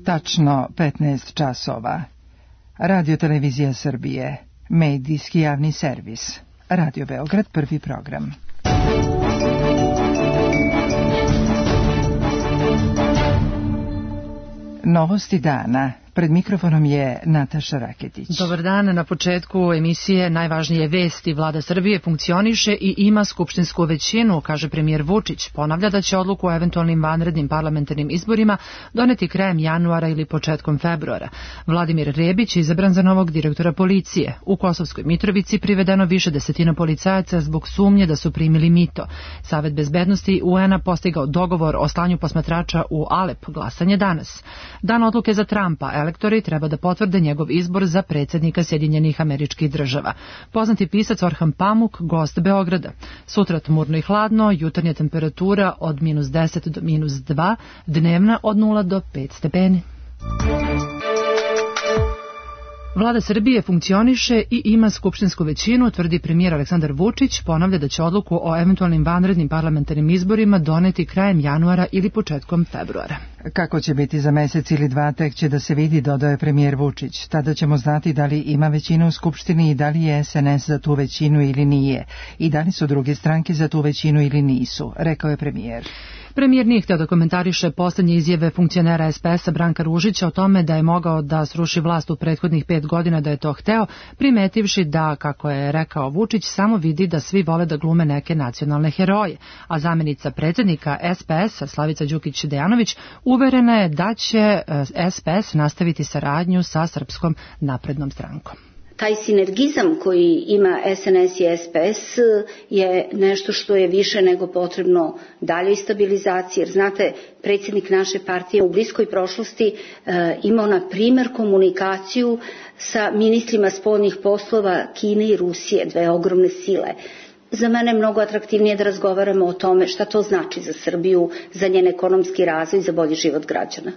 Tačno 15 časova. Radio Televizija Srbije, medijski javni servis. Radio Beograd, prvi program. Novosti dana. Pred mikrofonom je Nataša Raketić. Dobar dan. Na početku emisije najvažnije vesti. Vlada Srbije funkcioniše i ima skupštinsku većinu, kaže premijer Vučić. Ponavlja da će odluku o eventualnim vanrednim parlamentarnim izborima doneti krajem januara ili početkom februara. Vladimir Rebić je izabran za novog direktora policije. U Kosovskoj Mitrovici privedeno više desetina policajaca zbog sumnje da su primili mito. Savet bezbednosti UN-a postigao dogovor o slanju posmatrača u Alep. Glasanje danas. Dan odluke za Trumpa. Elektori treba da potvrde njegov izbor za predsjednika Sjedinjenih Američkih Država. Poznati pisac Orhan Pamuk, gost Beograda. Sutra tmurno i hladno, jutarnja temperatura od -10 do -2, dnevna od 0 do 5 stepeni. Vlada Srbije funkcioniše i ima skupštinsku većinu, tvrdi premijer Aleksandar Vučić. Ponavlja da će odluku o eventualnim vanrednim parlamentarnim izborima doneti krajem januara ili početkom februara. Kako će biti za mesec ili dva, tek će da se vidi, dodao je premijer Vučić. Tada ćemo znati da li ima većinu u Skupštini i da li je SNS za tu većinu ili nije. I da li su druge stranke za tu većinu ili nisu, rekao je premijer. Premijer nije hteo da komentariše poslednje izjave funkcionera SPS-a Branka Ružića o tome da je mogao da sruši vlast u prethodnih 5 godina, da je to hteo, primetivši da, kako je rekao Vučić, samo vidi da svi vole da glume neke nacionalne heroje. A zamenica predsjednika SPS-a Slavica Đukić-Dejanović uverena je da će SPS nastaviti saradnju sa Srpskom naprednom strankom. Taj sinergizam koji ima SNS i SPS je nešto što je više nego potrebno daljoj stabilizaciji, jer znate, predsjednik naše partije u bliskoj prošlosti imao na primjer komunikaciju sa ministrima spoljnih poslova Kine i Rusije, dve ogromne sile. Za mene je mnogo atraktivnije da razgovaramo o tome šta to znači za Srbiju, za njen ekonomski razvoj i za bolji život građana.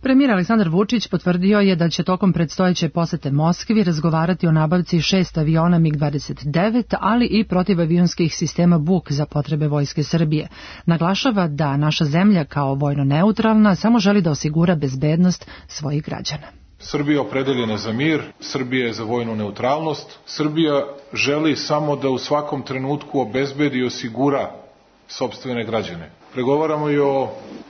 Premijer Aleksandar Vučić potvrdio je da će tokom predstojeće posete Moskvi razgovarati o nabavci 6 aviona MiG-29, ali i protivavionskih sistema Buk za potrebe Vojske Srbije. Naglašava da naša zemlja kao vojno neutralna samo želi da osigura bezbednost svojih građana. Srbija je opredeljena za mir, Srbija je za vojnu neutralnost, Srbija želi samo da u svakom trenutku obezbedi i osigura sopstvene građane. Pregovaramo i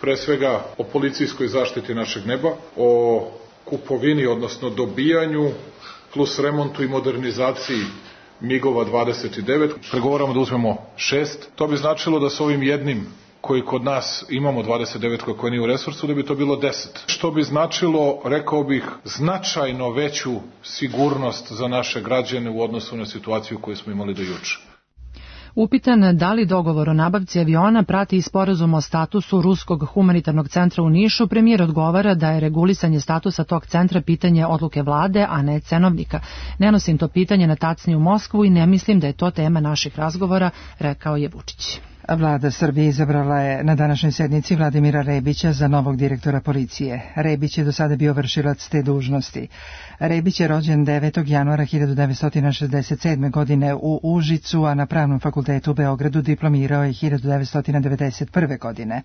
pre svega o policijskoj zaštiti našeg neba, o kupovini, odnosno dobijanju, plus remontu i modernizaciji MiG-ova 29. Pregovaramo da uzmemo 6. To bi značilo da s ovim jednim koji kod nas imamo 29 koji nije u resursu, da bi to bilo 10. Što bi značilo, rekao bih, značajno veću sigurnost za naše građane u odnosu na situaciju koju smo imali do juče. Upitan da li dogovor o nabavci aviona prati i sporazum o statusu Ruskog humanitarnog centra u Nišu, premijer odgovara da je regulisanje statusa tog centra pitanje odluke vlade, a ne cenovnika. Ne nosim to pitanje na tacni u Moskvu i ne mislim da je to tema naših razgovora, rekao je Vučić. Vlada Srbije izabrala je na današnjoj sednici Vladimira Rebića za novog direktora policije. Rebić je do sada bio vršilac te dužnosti. Rebić je rođen 9. januara 1967. godine u Užicu, a na Pravnom fakultetu u Beogradu diplomirao je 1991. godine.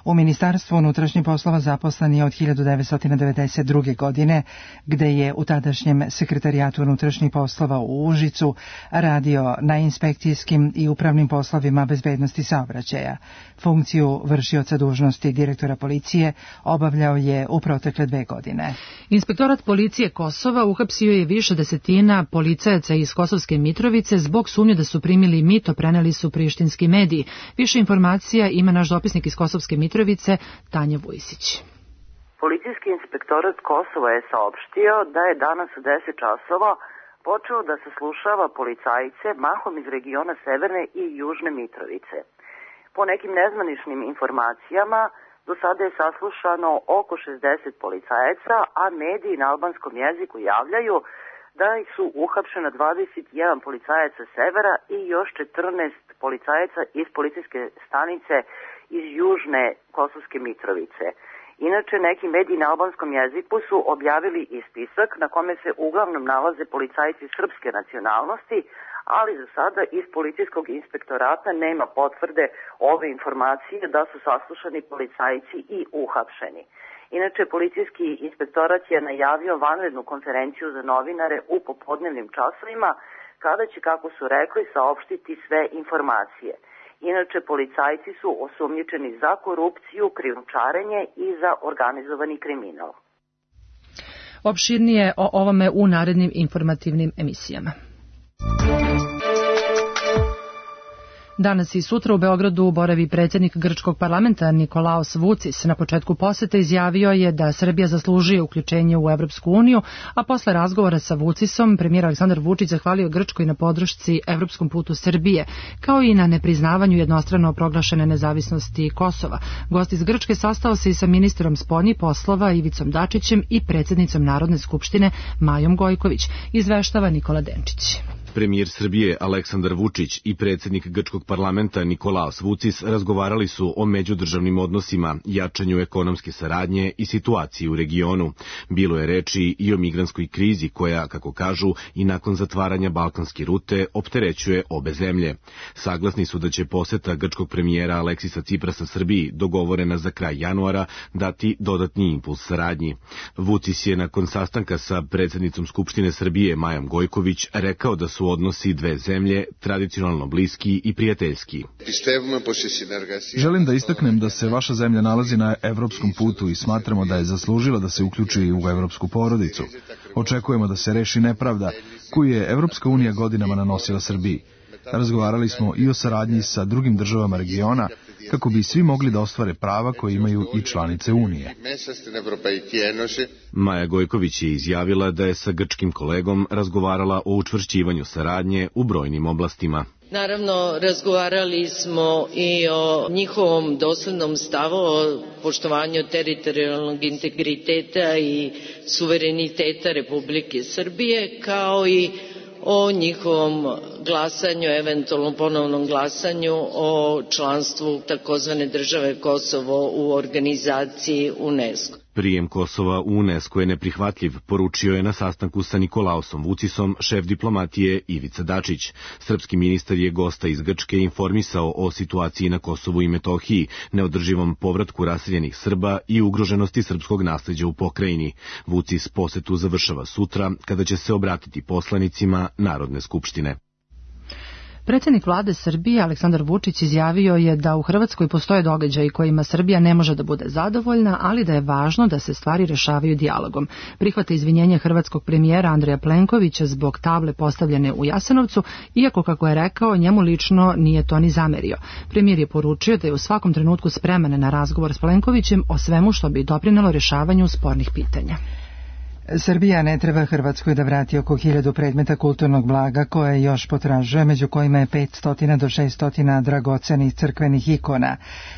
U Ministarstvu unutrašnjih poslova zaposlen je od 1992. godine, gde je u tadašnjem Sekretarijatu unutrašnjih poslova u Užicu radio na inspekcijskim i upravnim poslovima bezbednosti saobraćaja. Funkciju vršioca dužnosti direktora policije obavljao je u protekle 2 godine. Inspektorat policije Kosova uhapsio je više desetina policajaca iz Kosovske Mitrovice zbog sumnje da su primili mito, preneli su prištinski mediji. Više informacija ima naš dopisnik iz Kosovske Mitrovice, Tanja Vujsić. Policijski inspektorat Kosova je saopštio da je danas u 10 časova počeo da saslušava policajce mahom iz regiona Severne i Južne Mitrovice. Po nekim nezvaničnim informacijama, do sada je saslušano oko 60 policajaca, a mediji na albanskom jeziku javljaju da su uhapšena 21 policajaca Severa i još 14 policajaca iz policijske stanice iz Južne Kosovske Mitrovice. Inače, neki mediji na albanskom jeziku su objavili i spisak na kome se uglavnom nalaze policajci srpske nacionalnosti, ali za sada iz policijskog inspektorata nema potvrde ove informacije da su saslušani policajci i uhapšeni. Inače, policijski inspektorat je najavio vanrednu konferenciju za novinare u popodnevnim časovima, kada će, kako su rekli, saopštiti sve informacije. Inače, policajci su osumnjičeni za korupciju, krijumčarenje i za organizovani kriminal. Opširnije o ovome u narednim informativnim emisijama. Danas i sutra u Beogradu boravi predsjednik grčkog parlamenta Nikolaos Vucis. Na početku posete izjavio je da Srbija zaslužuje uključenje u Evropsku uniju, a posle razgovora sa Vucisom premijer Aleksandar Vučić zahvalio Grčkoj na podršci evropskom putu Srbije, kao i na nepriznavanju jednostrano proglašene nezavisnosti Kosova. Gost iz Grčke sastao se i sa ministrom spoljnih poslova Ivicom Dačićem i predsjednicom Narodne skupštine Majom Gojković, izveštava Nikola Denčić. Premijer Srbije Aleksandar Vučić i predsjednik grčkog parlamenta Nikolaos Vucis razgovarali su o međudržavnim odnosima, jačanju ekonomske saradnje i situaciji u regionu. Bilo je reči i o migrantskoj krizi koja, kako kažu, i nakon zatvaranja balkanske rute opterećuje obe zemlje. Saglasni su da će poseta grčkog premijera Aleksisa Ciprasa Srbiji, dogovorena za kraj januara, dati dodatni impuls saradnji. Vucis je nakon sastanka sa predsjednicom Skupštine Srbije Majom Gojković rekao da su odnosi dve zemlje tradicionalno bliski i prijateljski. Želim da istaknem da se vaša zemlja nalazi na evropskom putu i smatramo da je zaslužila da se uključi u evropsku porodicu. Očekujemo da se reši nepravda koju je Evropska unija godinama nanosila Srbiji. Razgovarali smo i o saradnji sa drugim državama regiona kako bi svi mogli da ostvare prava koje imaju i članice Unije. Maja Gojković je izjavila da je sa grčkim kolegom razgovarala o učvršćivanju saradnje u brojnim oblastima. Naravno, razgovarali smo i o njihovom doslednom stavu o poštovanju teritorijalnog integriteta i suvereniteta Republike Srbije, kao i o njihovom glasanju, eventualno ponovnom glasanju o članstvu takozvane države Kosovo u organizaciji UNESCO. Prijem Kosova u UNESCO je neprihvatljiv, poručio je na sastanku sa Nikolaosom Vucisom šef diplomatije Ivica Dačić. Srpski ministar je gosta iz Grčke informisao o situaciji na Kosovu i Metohiji, neodrživom povratku raseljenih Srba i ugroženosti srpskog nasleđa u pokrajini. Vucis posetu završava sutra, kada će se obratiti poslanicima Narodne skupštine. Predsjednik vlade Srbije Aleksandar Vučić izjavio je da u Hrvatskoj postoje događaji kojima Srbija ne može da bude zadovoljna, ali da je važno da se stvari rešavaju dijalogom. Prihvata izvinjenje hrvatskog premijera Andreja Plenkovića zbog table postavljene u Jasenovcu, iako, kako je rekao, njemu lično nije to ni zamerio. Premijer je poručio da je u svakom trenutku spreman na razgovor s Plenkovićem o svemu što bi doprinelo rešavanju spornih pitanja. Srbija ne treba Hrvatskoj da vrati oko 1000 predmeta kulturnog blaga koje još potražuje, među kojima je 500 do 600 dragocenih crkvenih ikona.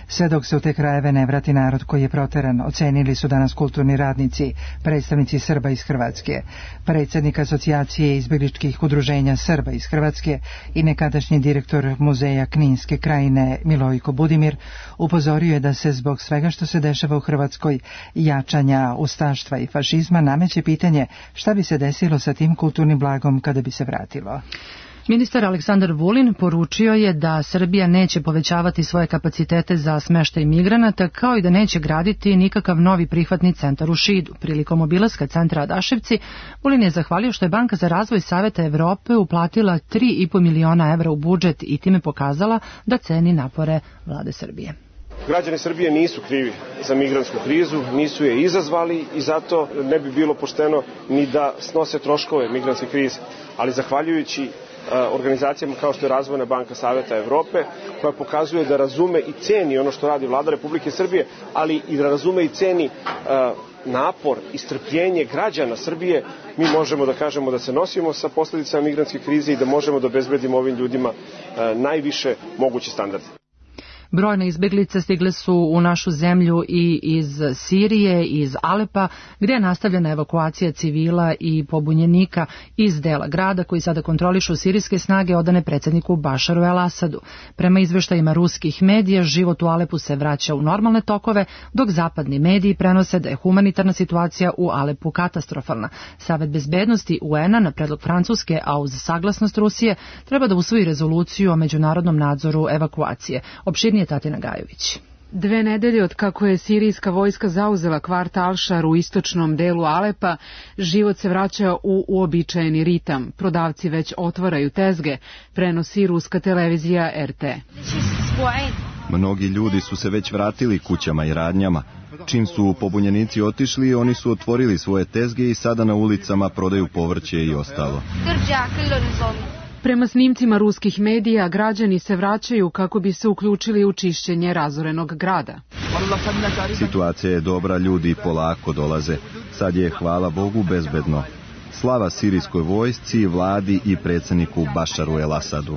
Sve dok se u te krajeve ne vrati narod koji je proteran, ocenili su danas kulturni radnici, predstavnici Srba iz Hrvatske. Predsjednik asocijacije izbegličkih udruženja Srba iz Hrvatske i nekadašnji direktor muzeja Kninske krajine Milojko Budimir upozorio je da se zbog svega što se dešava u Hrvatskoj, jačanja ustaštva i fašizma, nameće pitanje šta bi se desilo sa tim kulturnim blagom kada bi se vratilo. Ministar Aleksandar Vulin poručio je da Srbija neće povećavati svoje kapacitete za smeštaj migranata, kao i da neće graditi nikakav novi prihvatni centar u Šidu. Prilikom obilaska centra Adaševci, Vulin je zahvalio što je Banka za razvoj Saveta Evrope uplatila 3,5 miliona evra u budžet i time pokazala da ceni napore vlade Srbije. Građani Srbije nisu krivi za migrantsku krizu, nisu je izazvali i zato ne bi bilo pošteno ni da snose troškove migrantske krize. Ali zahvaljujući organizacijama kao što je Razvojna banka Saveta Evrope, koja pokazuje da razume i ceni ono što radi vlada Republike Srbije, ali i da razume i ceni napor i strpljenje građana Srbije, mi možemo da kažemo da se nosimo sa posljedicama migrantske krize i da možemo da obezbedimo ovim ljudima najviše moguće standarde. Brojne izbeglice stigle su u našu zemlju i iz Sirije, iz Alepa, gdje je nastavljena evakuacija civila i pobunjenika iz dela grada koji sada kontrolišu sirijske snage odane predsjedniku Bašaru el-Asadu. Prema izveštajima ruskih medija, život u Alepu se vraća u normalne tokove, dok zapadni mediji prenose da je humanitarna situacija u Alepu katastrofalna. Savet bezbednosti UN-a na predlog Francuske, a uz saglasnost Rusije, treba da usvoji rezoluciju o međunarodnom nadzoru evakuacije. Opširnije Tatina Gajović. 2 nedelje od kako je sirijska vojska zauzela kvart Al-Šar u istočnom delu Alepa, život se vraća u uobičajeni ritam. Prodavci već otvaraju tezge, prenosi ruska televizija RT. Mnogi ljudi su se već vratili kućama i radnjama. Čim su pobunjenici otišli, oni su otvorili svoje tezge i sada na ulicama prodaju povrće i ostalo. Prema snimcima ruskih medija, građani se vraćaju kako bi se uključili u čišćenje razorenog grada. Situacija je dobra, ljudi polako dolaze. Sad je, hvala Bogu, bezbedno. Slava sirijskoj vojsci, vladi i predsjedniku Bašaru el-Asadu.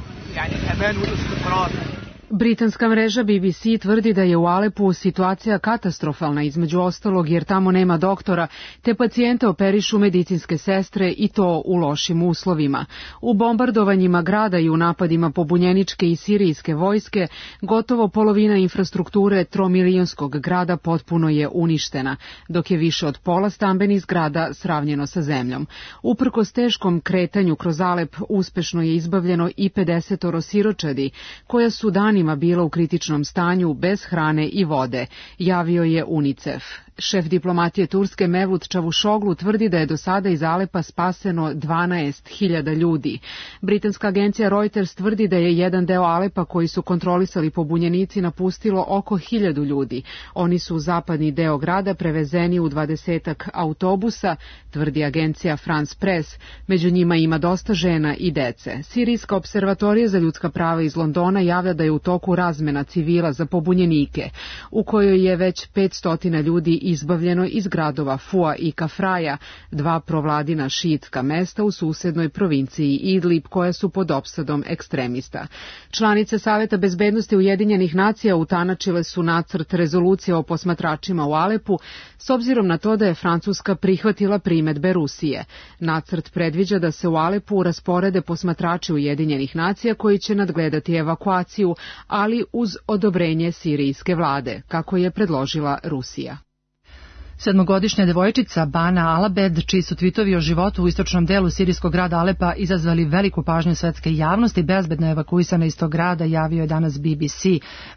Britanska mreža BBC tvrdi da je u Alepu situacija katastrofalna, između ostalog jer tamo nema doktora, te pacijente operišu medicinske sestre i to u lošim uslovima. U bombardovanjima grada i u napadima pobunjeničke i sirijske vojske, gotovo polovina infrastrukture tromilijonskog grada potpuno je uništena, dok je više od pola stambenih zgrada sravnjeno sa zemljom. Uprkos teškom kretanju kroz Alep, uspešno je izbavljeno i 50 siročadi, koja su danima bila u kritičnom stanju bez hrane i vode, javio je UNICEF. Šef diplomatije Turske Mevlut Čavuşoglu tvrdi da je do sada iz Alepa spaseno 12.000 ljudi. Britanska agencija Reuters tvrdi da je jedan deo Alepa koji su kontrolisali pobunjenici napustilo oko 1.000 ljudi. Oni su u zapadni deo grada prevezeni u 20 autobusa, tvrdi agencija France Press. Među njima ima dosta žena i dece. Sirijska observatorija za ljudska prava iz Londona javlja da je u toku razmena civila za pobunjenike, u kojoj je već 500 ljudi izbavljeno iz gradova Fua i Kafraja, 2 provladina šiitska mesta u susednoj provinciji Idlib koja su pod opsadom ekstremista. Članice Saveta bezbednosti Ujedinjenih nacija utanačile su nacrt rezolucije o posmatračima u Alepu s obzirom na to da je Francuska prihvatila primedbe Rusije. Nacrt predviđa da se u Alepu rasporede posmatrači Ujedinjenih nacija koji će nadgledati evakuaciju, ali uz odobrenje sirijske vlade, kako je predložila Rusija. 7-godišnja devojčica Bana Alabed, čiji su tvitovi o životu u istočnom delu sirijskog grada Alepa izazvali veliku pažnju svetske javnosti, bezbedno je evakuisana iz tog grada, javio je danas BBC.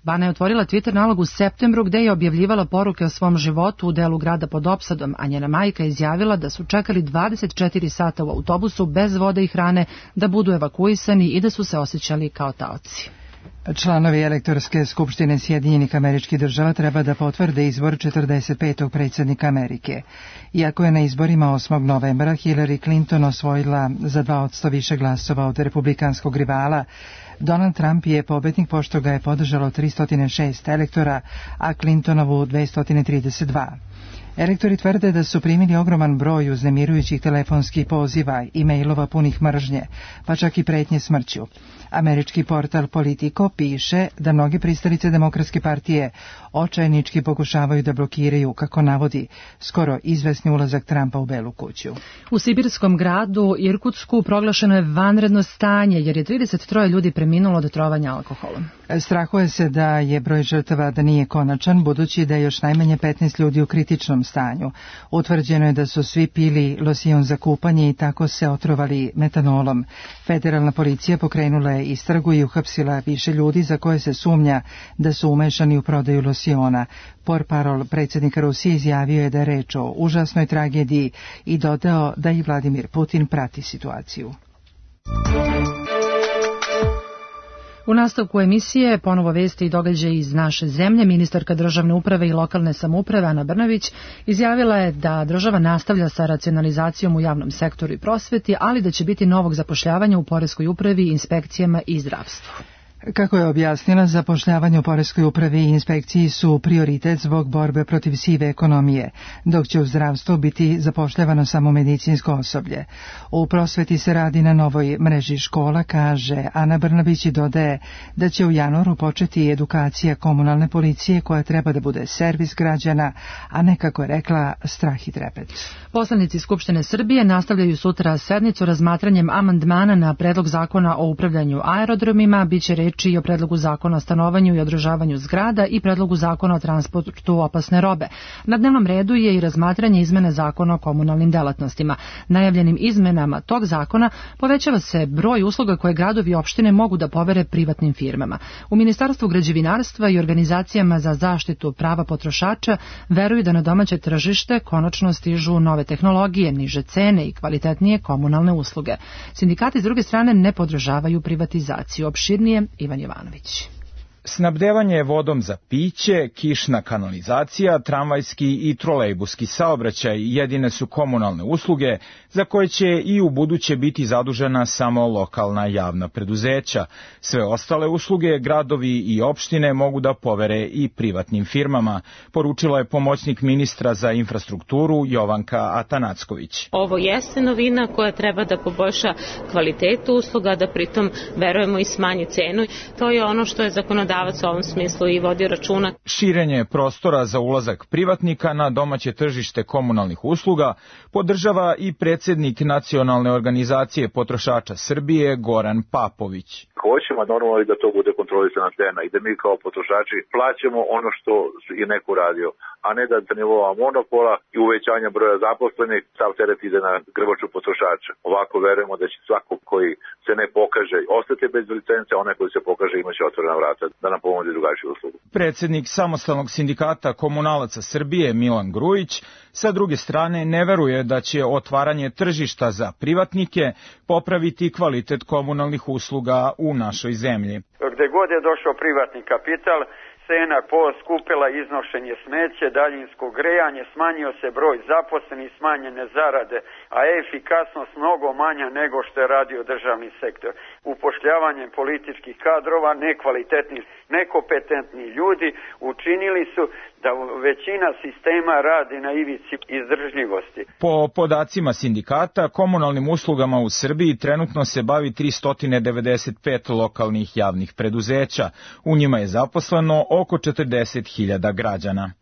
Bana je otvorila Twitter nalog u septembru gde je objavljivala poruke o svom životu u delu grada pod opsadom, a njena majka izjavila da su čekali 24 sata u autobusu bez vode i hrane da budu evakuisani i da su se osjećali kao taoci. Članovi elektorske skupštine Sjedinjenih Američkih Država treba da potvrde izbor 45. predsjednika Amerike. Iako je na izborima 8. novembra Hillary Clinton osvojila za 2% više glasova od republikanskog rivala, Donald Trump je pobednik pošto ga je podržalo 306 elektora, a Clintonovu 232. Elektori tvrde da su primili ogroman broj uznemirujućih telefonskih poziva i mailova punih mržnje, pa čak i pretnje smrću. Američki portal Politico piše da mnoge pristalice Demokratske partije očajnički pokušavaju da blokiraju, kako navodi, skoro izvesni ulazak Trumpa u Belu kuću. U sibirskom gradu Irkutsku proglašeno je vanredno stanje jer je 33 ljudi preminulo od trovanja alkoholom. Strahuje se da je broj žrtava da nije konačan, budući da je još najmanje 15 ljudi u kritičnom stanju. Utvrđeno je da su svi pili losion za kupanje i tako se otrovali metanolom. Federalna policija pokrenula je istragu i uhapsila više ljudi za koje se sumnja da su umešani u prodaju losiona. Portparol predsjednika Rusije izjavio je da je reč o užasnoj tragediji i dodao da i Vladimir Putin prati situaciju. U nastavku emisije ponovo vesti i događaji iz naše zemlje. Ministarka državne uprave i lokalne samouprave Ana Brnabić izjavila je da država nastavlja sa racionalizacijom u javnom sektoru i prosveti, ali da će biti novog zapošljavanja u poreskoj upravi, inspekcijama i zdravstvu. Kako je objasnila, zapošljavanje u poreskoj upravi i inspekciji su prioritet zbog borbe protiv sive ekonomije, dok će u zdravstvu biti zapošljavano samo medicinsko osoblje. U prosveti se radi na novoj mreži škola, kaže Ana Brnabić, i dodaje da će u januaru početi edukacija komunalne policije koja treba da bude servis građana, a ne, kako je rekla, strah i trepet. Poslanici Skupštine Srbije nastavljaju sutra sednicu razmatranjem amandmana na predlog zakona o upravljanju aerodromima. Biće reči reči i o predlogu zakona o stanovanju i održavanju zgrada i predlogu zakona o transportu opasne robe. Na dnevnom redu je i razmatranje izmene zakona o komunalnim delatnostima. Najavljenim izmenama tog zakona povećava se broj usluga koje gradovi i opštine mogu da povere privatnim firmama. U Ministarstvu građevinarstva i organizacijama za zaštitu prava potrošača veruju da na domaće tržište konačno stižu nove tehnologije, niže cene i kvalitetnije komunalne usluge. Sindikati s druge strane ne podržavaju privatizaciju. Opširnije Ivan Jovanović. Snabdevanje vodom za piće, kišna kanalizacija, tramvajski i trolejbuski saobraćaj jedine su komunalne usluge za koje će i u buduće biti zadužena samo lokalna javna preduzeća. Sve ostale usluge gradovi i opštine mogu da povere i privatnim firmama, poručila je pomoćnik ministra za infrastrukturu Jovanka Atanacković. Ovo jeste novina koja treba da poboljša kvalitetu usluga, da pritom verujemo i smanji cenu. To je ono što je zakonodavac u ovom smislu i vodi računa. Širenje prostora za ulazak privatnika na domaće tržište komunalnih usluga podržava i predsjednik Nacionalne organizacije potrošača Srbije Goran Papović. Hoćemo normalno i da to bude kontrolisana cena i da mi kao potrošači plaćamo ono što je neko radio, a ne da nivoa monopola i uvećanja broja zaposlenih sav teret ide na grbaču potrošača. Ovako verujemo da će svako koji se ne pokaže ostati bez licence, a onaj koji se pokaže imaće otvorena vrata da nam pomoći drugačiju uslugu. Predsjednik Samostalnog sindikata komunalaca Srbije Milan Grujić sa druge strane ne veruje da će otvaranje tržišta za privatnike popraviti kvalitet komunalnih usluga u našoj zemlji. Gde god je došao privatni kapital, cena poskupila iznošenje smeće, daljinsko grejanje, smanjio se broj zaposlenih, smanjene zarade, a efikasnost mnogo manja nego što je radio državni sektor. Upošljavanjem političkih kadrova, nekvalitetni, nekompetentni ljudi učinili su da većina sistema radi na ivici izdržljivosti. Po podacima sindikata, komunalnim uslugama u Srbiji trenutno se bavi 395 lokalnih javnih preduzeća. U njima je zaposleno oko 40.000 građana.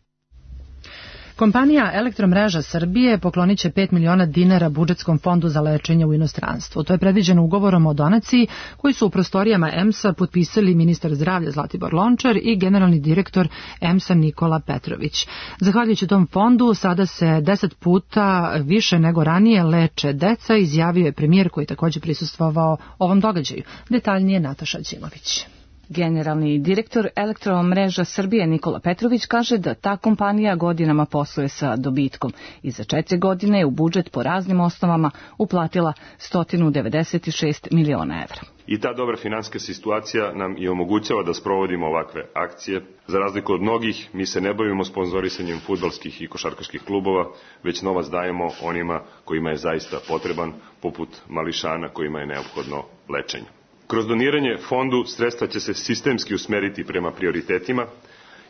Kompanija Elektromreža Srbije poklonit će 5 miliona dinara budžetskom fondu za lečenje u inostranstvu. To je predviđeno ugovorom o donaciji koji su u prostorijama EMS-a potpisali ministar zdravlja Zlatibor Lončar i generalni direktor EMS-a Nikola Petrović. Zahvaljujući tom fondu sada se 10 puta više nego ranije leče deca, izjavio je premijer koji je također prisustvovao ovom događaju. Detaljnije Nataša Đimović. Generalni direktor Elektromreža Srbije Nikola Petrović kaže da ta kompanija godinama posluje sa dobitkom i za 4 godine je u budžet po raznim osnovama uplatila 196 miliona evra. I ta dobra finansijska situacija nam i omogućava da sprovodimo ovakve akcije. Za razliku od mnogih, mi se ne bavimo sponzorisanjem fudbalskih i košarkaških klubova, već novac dajemo onima kojima je zaista potreban, poput mališana kojima je neophodno lečenje. Kroz doniranje fondu sredstva će se sistemski usmeriti prema prioritetima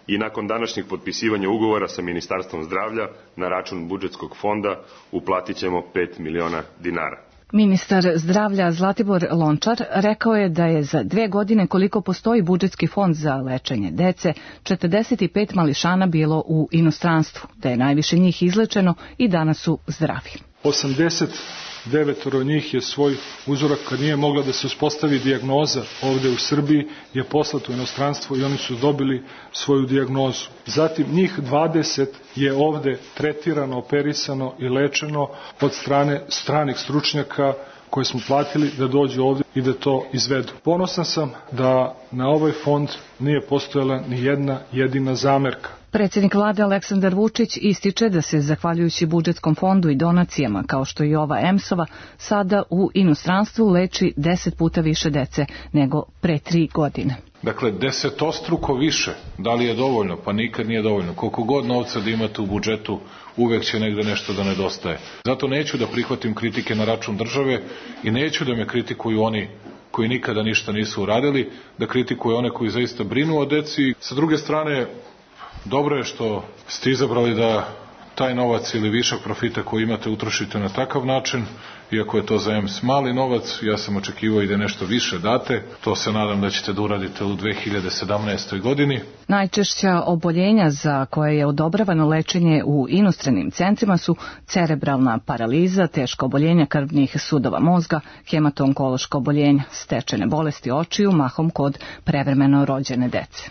i nakon današnjeg potpisivanja ugovora sa Ministarstvom zdravlja na račun budžetskog fonda uplatit ćemo 5 miliona dinara. Ministar zdravlja Zlatibor Lončar rekao je da je za 2 godine koliko postoji budžetski fond za lečenje dece, 45 mališana bilo u inostranstvu, da je najviše njih izlečeno i danas su zdravi. 89 njih je svoj uzorak, kad nije mogla da se uspostavi dijagnoza ovde u Srbiji, je poslato u inostranstvo i oni su dobili svoju dijagnozu. Zatim njih 20 je ovde tretirano, operisano i lečeno od strane stranih stručnjaka koje smo platili da dođu ovde i da to izvedu. Ponosan sam da na ovaj fond nije postojala ni jedna jedina zamerka. Predsjednik vlade Aleksandar Vučić ističe da se, zahvaljujući budžetskom fondu i donacijama, kao što i ova EMS-ova, sada u inostranstvu leči 10 puta više dece nego pre 3 godine. Dakle, 10-struko više. Da li je dovoljno? Pa nikad nije dovoljno. Koliko god novca da imate u budžetu, uvek će negde nešto da nedostaje. Zato neću da prihvatim kritike na račun države i neću da me kritikuju oni koji nikada ništa nisu uradili, da kritikuju one koji zaista brinu o deci. Sa druge strane, dobro je što ste izabrali da taj novac ili višak profita koji imate utrošite na takav način, iako je to za EMS mali novac, ja sam očekivao i da nešto više date, to se nadam da ćete da uradite u 2017. godini. Najčešća oboljenja za koje je odobravano lečenje u inostranim centrima su cerebralna paraliza, teško oboljenja krvnih sudova mozga, hematonkološko oboljenja, stečene bolesti očiju, mahom kod prevremeno rođene dece.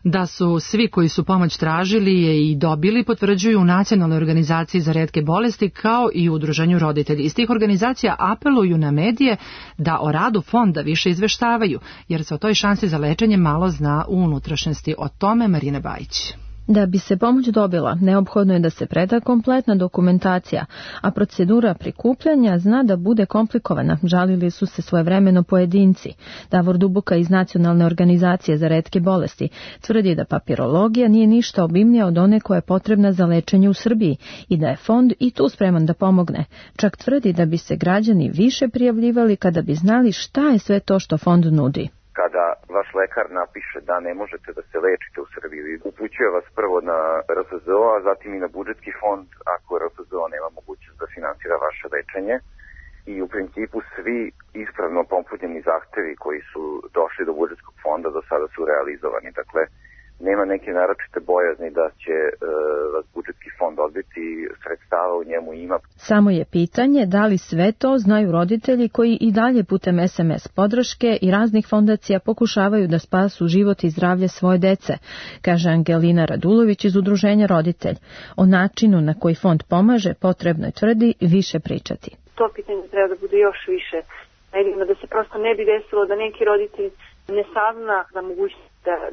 Da su svi koji su pomoć tražili je i dobili, potvrđuju u Nacionalnoj organizaciji za retke bolesti kao i u Udruženju roditelji. Iz tih organizacija apeluju na medije da o radu fonda više izveštavaju, jer se o toj šansi za lečenje malo zna u unutrašnjosti. O tome Marina Bajić. Da bi se pomoć dobila, neophodno je da se preda kompletna dokumentacija, a procedura prikupljanja zna da bude komplikovana. Žalili su se svojevremeno pojedinci. Davor Duboka iz Nacionalne organizacije za retke bolesti tvrdi da papirologija nije ništa obimnija od one koja je potrebna za lečenje u Srbiji i da je fond i tu spreman da pomogne. Čak tvrdi da bi se građani više prijavljivali kada bi znali šta je sve to što fond nudi. Kada vaš lekar napiše da ne možete da se lečite u Srbiji, upućuje vas prvo na RFZO, a zatim i na budžetski fond ako RFZO nema mogućnost da finansira vaše lečenje. I u principu svi ispravno popunjeni zahtevi koji su došli do budžetskog fonda do sada su realizovani. Dakle, nema neke naročite bojazni da će vas budžetski fond odbiti, sredstava u njemu ima. Samo je pitanje da li sve to znaju roditelji koji i dalje putem SMS podrške i raznih fondacija pokušavaju da spasu život i zdravlje svoje dece, kaže Angelina Radulović iz Udruženja Roditelj. O načinu na koji fond pomaže potrebno je, tvrdi, više pričati. To pitanje treba da bude još više medijima, da se prosto ne bi desilo da neki roditelj ne sazna za mogućnost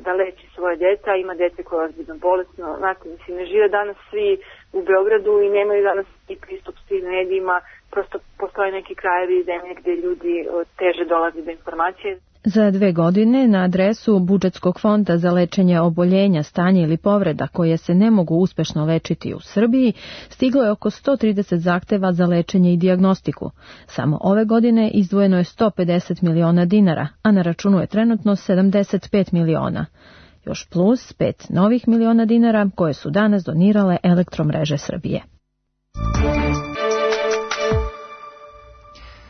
da leči svoje dete, a ima dete koje je ozbiljno bolesno. Znate, mislim, ne žive danas svi u Beogradu i nemaju danas i pristup svim medijima, prosto postoje neki krajevi zemlje gde ljudi teže dolaze do informacije. Za 2 godine na adresu budžetskog fonda za lečenje oboljenja, stanja ili povreda koje se ne mogu uspešno lečiti u Srbiji stiglo je oko 130 zahteva za lečenje i dijagnostiku. Samo ove godine izdvojeno je 150 miliona dinara, a na računu je trenutno 75 miliona. Još plus 5 novih miliona dinara koje su danas donirale Elektromreže Srbije.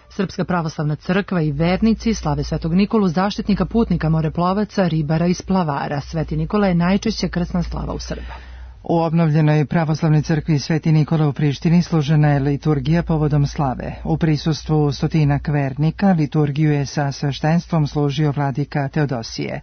Srpska pravoslavna crkva i vernici slave Svetog Nikolu, zaštitnika putnika, moreplovaca, ribara i splavara. Sveti Nikola je najčešća krsna slava u Srba. U obnovljenoj pravoslavnoj crkvi Sveti Nikola u Prištini služena je liturgija povodom slave. U prisustvu stotinak vernika liturgiju je sa sveštenstvom služio vladika Teodosije.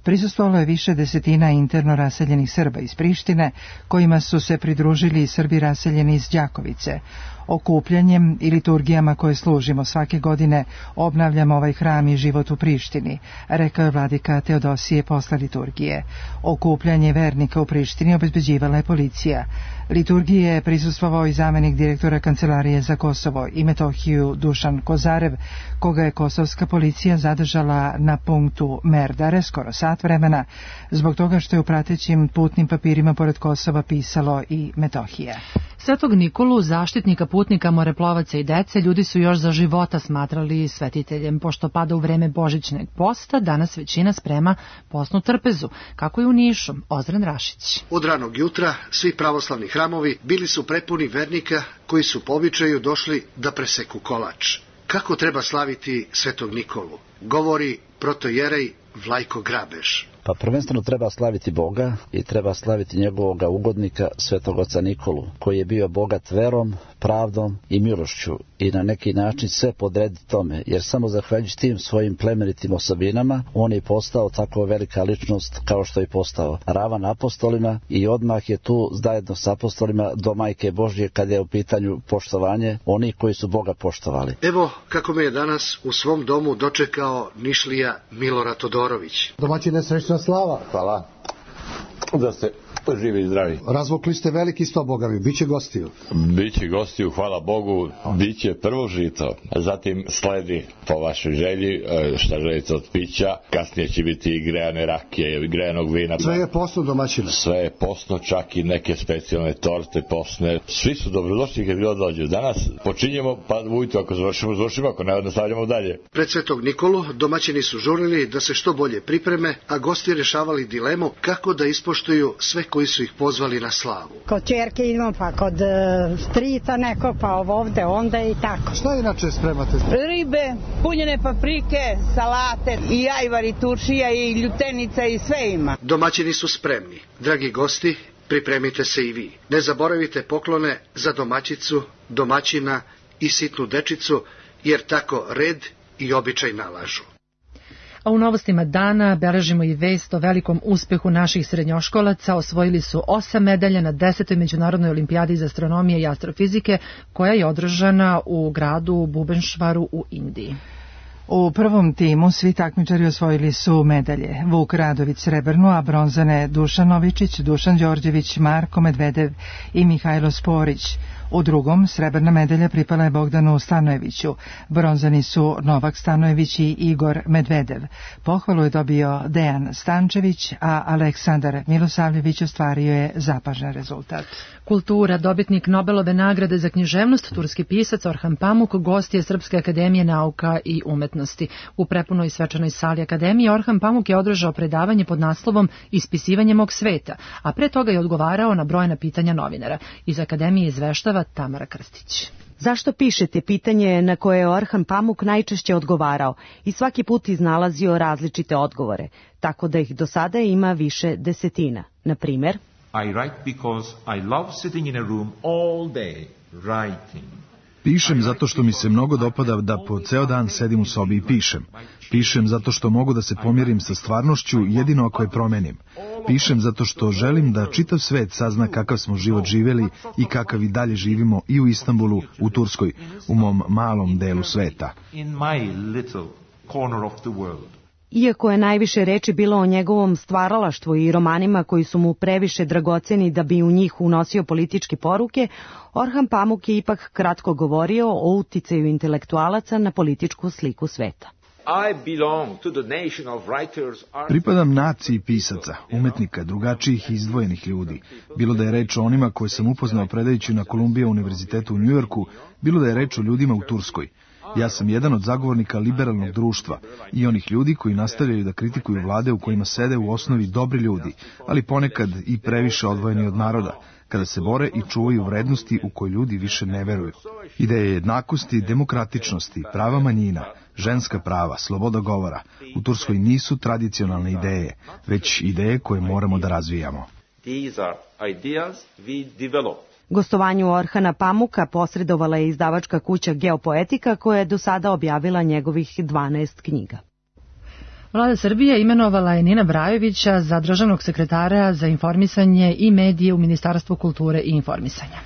Prisustvovalo je više desetina interno raseljenih Srba iz Prištine, kojima su se pridružili i Srbi raseljeni iz Đakovice. Okupljanjem i liturgijama koje služimo svake godine obnavljamo ovaj hram i život u Prištini, rekao je vladika Teodosije posle liturgije. Okupljanje vernika u Prištini obezbeđivala je policija. Liturgiji je prisustvovao i zamenik direktora Kancelarije za Kosovo i Metohiju Dušan Kozarev, koga je kosovska policija zadržala na punktu Merdare skoro sat vremena, zbog toga što je u pratećim putnim papirima pored Kosova pisalo i Metohija. Svetog Nikolu, zaštitnika putnika, moreplovaca i dece, ljudi su još za života smatrali svetiteljem. Pošto pada u vreme božićnog posta, danas većina sprema postnu trpezu, kako je u Nišu. Ozren Rašić. Od ranog jutra svi pravoslavni hramovi bili su prepuni vernika koji su po običaju došli da preseku kolač. Kako treba slaviti Svetog Nikolu? Govori protojerej Vlajko Grabež. Pa prvenstveno treba slaviti Boga i treba slaviti njegovog ugodnika Svetog oca Nikolu, koji je bio bogat verom, pravdom i milošću i na neki način sve podrediti tome, jer samo zahvaljujući tim svojim plemenitim osobinama on je postao tako velika ličnost kao što je postao. Ravan apostolima i odmah je tu zajedno s apostolima do Majke Božje kada je u pitanju poštovanje onih koji su Boga poštovali. Evo kako me je danas u svom domu dočekao Nišlija Milorad Todorović. Domaćine, srećna slava. Hvala. Da ste živi i zdravi. Razvukli ste veliki sto, Boga mi. Biće gostiju. Biće gostiju, hvala Bogu. Biće prvo žito. Zatim sledi po vašoj želji šta želite od pića. Kasnije će biti i grejane rakije, grejanog vina. Sve je posno, domaćine. Sve je posno, čak i neke specijalne torte posne. Svi su dobrodošli kad god dođu. Danas počinjemo, pa ujutro ako završimo, ako ne nastavljamo dalje. Pred Svetog Nikolu domaćini su žurili da se što bolje pripreme, a gosti rješavali dilemu kako da ispoštuju sve koji su ih pozvali na slavu. Kod ćerke idemo, pa kod strica neko, pa ovde, onda i tako. Šta inače spremate? Ribe, punjene paprike, salate, i ajvar, i turšija, i ljutenica, i sve ima. Domaćini su spremni. Dragi gosti, pripremite se i vi. Ne zaboravite poklone za domaćicu, domaćina i sitnu dečicu, jer tako red i običaj nalažu. A u novostima dana beležimo i vest o velikom uspehu naših srednjoškolaca. Osvojili su 8 medalja na 10. Međunarodnoj olimpijadi iz astronomije i astrofizike, koja je održana u gradu Bubenšvaru u Indiji. U prvom timu svi takmičari osvojili su medalje. Vuk Radović srebrnu, a bronzane Dušan Novičić, Dušan Đorđević, Marko Medvedev i Mihajlo Sporić. U drugom srebrna medalja pripala je Bogdanu Stanojeviću, bronzani su Novak Stanojević i Igor Medvedev. Pohvalu je dobio Dejan Stančević, a Aleksandar Milosavljević ostvario je zapažan rezultat. Kultura, dobitnik Nobelove nagrade za književnost, turski pisac Orhan Pamuk, gost je Srpske akademije nauka i umetnosti. U prepunoj svečanoj sali akademije Orhan Pamuk je održao predavanje pod naslovom Ispisivanje mog sveta, a pre toga je odgovarao na brojna pitanja novinara. Iz akademije izveštava Tamara Krstić. Zašto pišete? Pitanje na koje je Orhan Pamuk najčešće odgovarao i svaki put iznalazio različite odgovore, tako da ih do sada ima više desetina. Na primer, I write because I love sitting in a room all day writing. Pišem zato što mi se mnogo dopada da po ceo dan sedim u sobi i pišem. Pišem zato što mogu da se pomirim sa stvarnošću jedino ako je promenim. Pišem zato što želim da čitav svet sazna kakav smo život živeli i kakav i dalje živimo i u Istanbulu, u Turskoj, u mom malom delu sveta. In my little corner of the world. Iako je najviše reči bilo o njegovom stvaralaštvu i romanima koji su mu previše dragoceni da bi u njih unosio političke poruke, Orhan Pamuk je ipak kratko govorio o uticaju intelektualaca na političku sliku sveta. Pripadam naciji pisaca, umetnika, drugačijih i izdvojenih ljudi. Bilo da je reč o onima koje sam upoznao predajući na Columbia univerzitetu u Njujorku, bilo da je reč o ljudima u Turskoj. Ja sam jedan od zagovornika liberalnog društva i onih ljudi koji nastavljaju da kritikuju vlade u kojima sede u osnovi dobri ljudi, ali ponekad i previše odvojeni od naroda, kada se bore i čuvaju vrednosti u koje ljudi više ne veruju. Ideje jednakosti, demokratičnosti, prava manjina, ženska prava, sloboda govora u Turskoj nisu tradicionalne ideje, već ideje koje moramo da razvijamo. These are ideas we develop. Gostovanju Orhana Pamuka posredovala je izdavačka kuća Geopoetika, koja je do sada objavila njegovih 12 knjiga. Vlada Srbije imenovala je Nina Brajovića za državnog sekretara za informisanje i medije u Ministarstvu kulture i informisanja.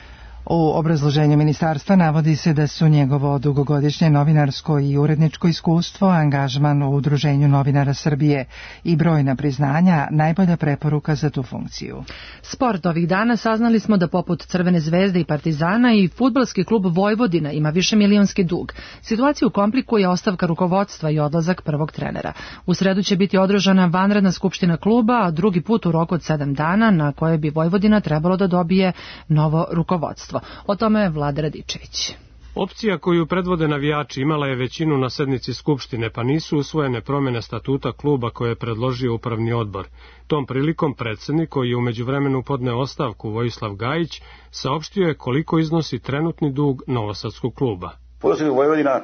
U obrazloženju ministarstva navodi se da su njegovo dugogodišnje novinarsko i uredničko iskustvo, angažman u Udruženju novinara Srbije i brojna priznanja najbolja preporuka za tu funkciju. Sport ovih dana saznali smo da poput Crvene zvezde i Partizana i fudbalski klub Vojvodina ima višemilionski dug. Situaciju komplikuje ostavka rukovodstva i odlazak prvog trenera. U sredu će biti održana vanredna skupština kluba, a drugi put u roku od 7 dana na koje bi Vojvodina trebalo da dobije novo rukovodstvo. O tome je Vlada Radičević. Opcija koju predvode navijači imala je većinu na sednici Skupštine, pa nisu usvojene promjene statuta kluba koje je predložio upravni odbor. Tom prilikom predsjednik, koji je u međuvremenu podneo ostavku, Vojislav Gajić, saopštio je koliko iznosi trenutni dug novosadskog kluba. Fudbalski klub Vojvodina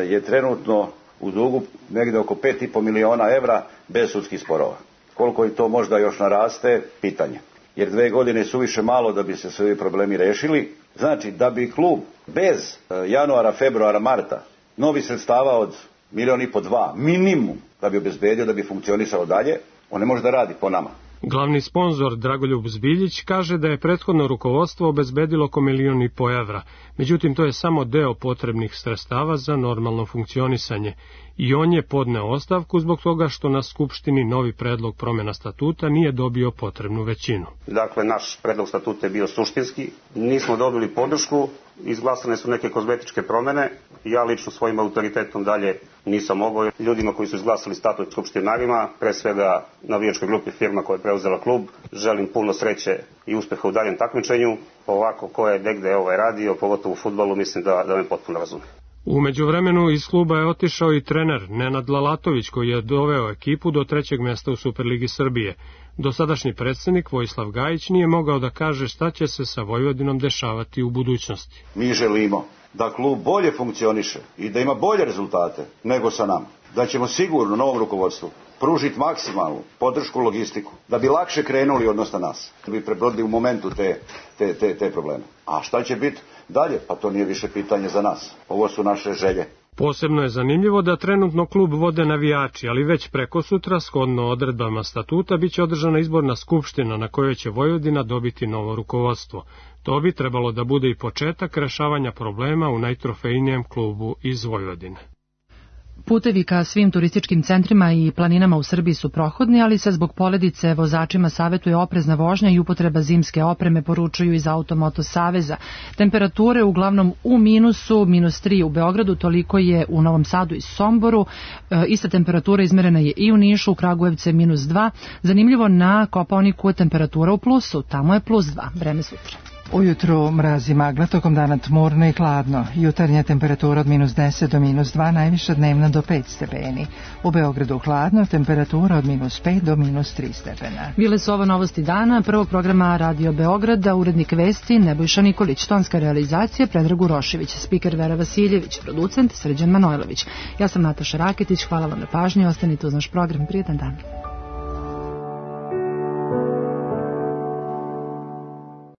je trenutno u dugu negde oko 5,5 miliona evra bez sudskih sporova. Koliko im to možda još naraste, pitanje. Jer 2 godine su više malo da bi se svi problemi rešili. Znači, da bi klub bez januara, februara, marta novi sredstava od 1,5 miliona, 2 minimum da bi obezbedio, da bi funkcionisao dalje, on ne može da radi po nama. Glavni sponzor Dragoljub Zbiljić kaže da je prethodno rukovodstvo obezbedilo oko 1,5 miliona evra, međutim to je samo deo potrebnih sredstava za normalno funkcionisanje. I on je podneo ostavku zbog toga što na Skupštini novi predlog promjena statuta nije dobio potrebnu većinu. Dakle, naš predlog statuta je bio suštinski, nismo dobili podršku, izglasane su neke kozmetičke promjene, ja lično svojim autoritetom dalje nisam mogao. Ljudima koji su izglasali statut skupštinarima, pre svega navijačkoj grupi firma koja je preuzela klub, želim puno sreće i uspeha u daljem takmičenju. Ovako ko je negde radio, pogotovo u fudbalu, mislim da me potpuno razume. U međuvremenu iz kluba je otišao i trener Nenad Lalatović koji je doveo ekipu do 3. mesta u Superligi Srbije. Dosadašnji predsednik Vojislav Gajić nije mogao da kaže šta će se sa Vojvodinom dešavati u budućnosti. Mi želimo da klub bolje funkcioniše i da ima bolje rezultate nego sa nama. Da ćemo sigurno novom rukovodstvu pružiti maksimalnu podršku logistiku, da bi lakše krenuli odnosno nas, da bi prebrodili u momentu te probleme. A šta će biti dalje? Pa to nije više pitanje za nas. Ovo su naše želje. Posebno je zanimljivo da trenutno klub vode navijači, ali već preko sutra, shodno odredbama statuta, biće održana izborna skupština na kojoj će Vojvodina dobiti novo rukovodstvo. To bi trebalo da bude i početak rešavanja problema u najtrofejnijem klubu iz Vojvodine. Putevi ka svim turističkim centrima i planinama u Srbiji su prohodni, ali se zbog poledice vozačima savetuje oprezna vožnja i upotreba zimske opreme, poručuju iz Automoto saveza. Temperature uglavnom u minusu, -3 u Beogradu, toliko je u Novom Sadu i Somboru. Ista temperatura izmerena je i u Nišu, u Kragujevcu je -2. Zanimljivo, na Kopaoniku je temperatura u plusu, tamo je +2. Vreme sutra. Ujutru mraz i magla, tokom dana tmurno i hladno. Jutarnja temperatura od -10 do -2, najviša dnevna do 5 stepeni. U Beogradu hladno, temperatura od -5 do -3 stepena. Bile su ovo novosti dana, prvog programa Radio Beograda, urednik vesti Nebojša Nikolić, tonska realizacija Predrag Urošević, spiker Vera Vasiljević, producent Srđan Manojlović. Ja sam Nataša Raketić, hvala vam na pažnji, ostanite uz naš program, prijetan dan.